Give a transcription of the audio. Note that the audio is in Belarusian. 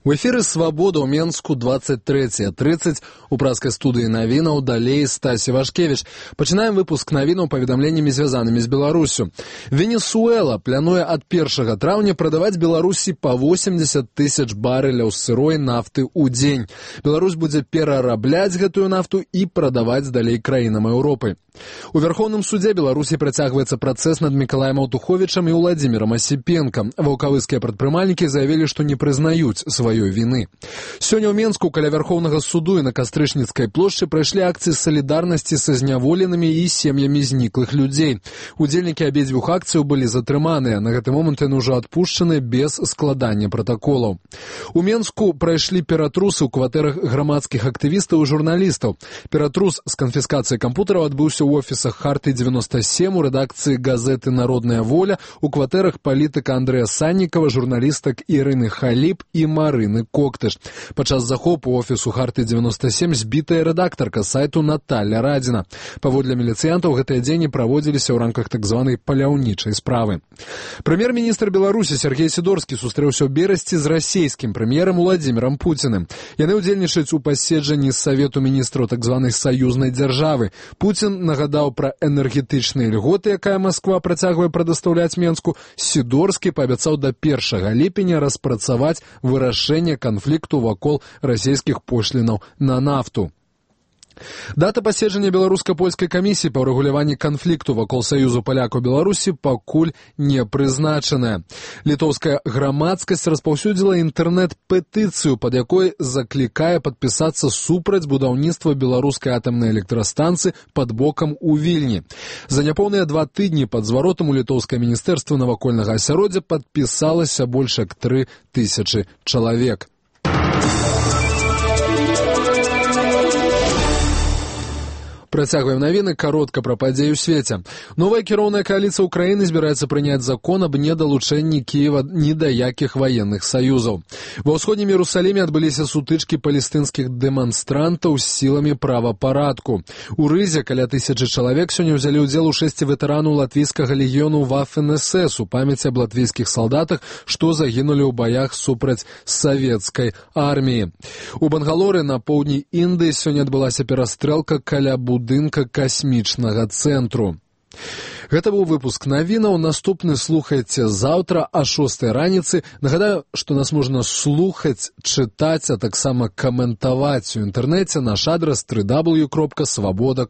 У эфіры «Свабода» ў Менску 23:30 у праскай студыі навінаў далей Стасі Вашкевіч. Пачынаем выпуск навінаў паведамленнямі, звязанымі з Беларусю. Венесуэла плануе ад 1 траўня прадаваць Беларусі па 80 тысяч барэляў сырой нафты ў дзень. Беларусь будзе перарабляць гэтую нафту і прадаваць далей краінам Еўропы. У Вярхоўным судзе Беларусі працягваецца працэс над Мікалаем Аўтуховічам і Уладзімірам Асіпенкам. Ваўкавыскія прадпрымальнікі заявілі, што не прызнаюць сваёй віны. Сёння ў Менску каля Вярхоўнага суду і на Кастрычніцкай плошчы прайшлі акцыі салідарнасці са зняволенымі і сем'ямі зніклых людзей. Удзельнікі абедзвюх акцыяў былі затрыманыя. На гэты момант яны ўжо адпушчаны без складання пратаколаў. У Менску прайшлі ператрусы ў кватэрах грамадскіх актывістаў і журналістаў. Ператрус з канфіскацыяй кампутараў адбыўся ў офісах Харты-97, у рэдакцыі газеты «Народная воля», у кватэрах палітыка Андрэя Саннікава, журналістак Ірыны Халіп і Марыны Коктыш. Падчас захопу офісу Харты-97 збітая рэдактарка сайту Наталля Радзіна. Паводле міліцыянтаў, гэтыя дзеянні праводзіліся ў рамках так званай паляўнічай справы. Прэм'ер-міністр Беларусі Сергей Сідорскі сустрэўся ў Берасці з расійскім прэм'ерам Уладзімірам Пуціным. Яны ўдзельнічаюць у паседжанні Савету міністраў так званай саюзнай дзяржавы. Пуцін нагадаў пра энергетычныя льготы, якая Масква працягвае прадастаўляць Менску. Сідорскі паабяцаў да 1 ліпеня распрацаваць вырашэнне канфлікту вакол расійскіх пошлінаў на нафту. Дата паседжання беларуска-польскай камісіі па ўрэгуляванні канфлікту вакол Саюзу палякаў Беларусі пакуль не прызначаная. Літоўская грамадскасць распаўсюдзіла інтэрнэт-петыцыю, пад якой заклікае падпісацца супраць будаўніцтва беларускай атамнай электрастанцыі пад бокам у Вільні. За няпоўныя 2 тыдні пад зваротам у літоўскае міністэрства навакольнага асяроддзя падпісалася больш як 3000 чалавек. Працягваем навіны, каротка пра падзеі ў свеце. Новая кіроўная кааліцыя ўкраіны збіраецца прыняць закон аб недалучэнні Кіева ні да якіх ваенных саюзаў. Ва ўсходнім Іерусаліме адбыліся сутычкі палестынскіх дэманстрантаў з сіламі правапарадку. У Рызе каля 1000 чалавек сёння ўзялі ўдзел у шэсці ветэранаў латвійскага легіёну Вафен-СС у памяці аб латвійскіх салдатах, што загінулі ў баях супраць савецкай арміі. У Бангалоры на поўдні Індыі сёння адбылася перастрэлка каля будынка касмічнага цэнтру. Гэта быў выпуск навінаў. Наступны слухайце заўтра а 6 раніцы. Нагадаю, што нас можна слухаць, чытаць, а таксама каментаваць у інтэрнэце. Наш адрас www.swaboda.org.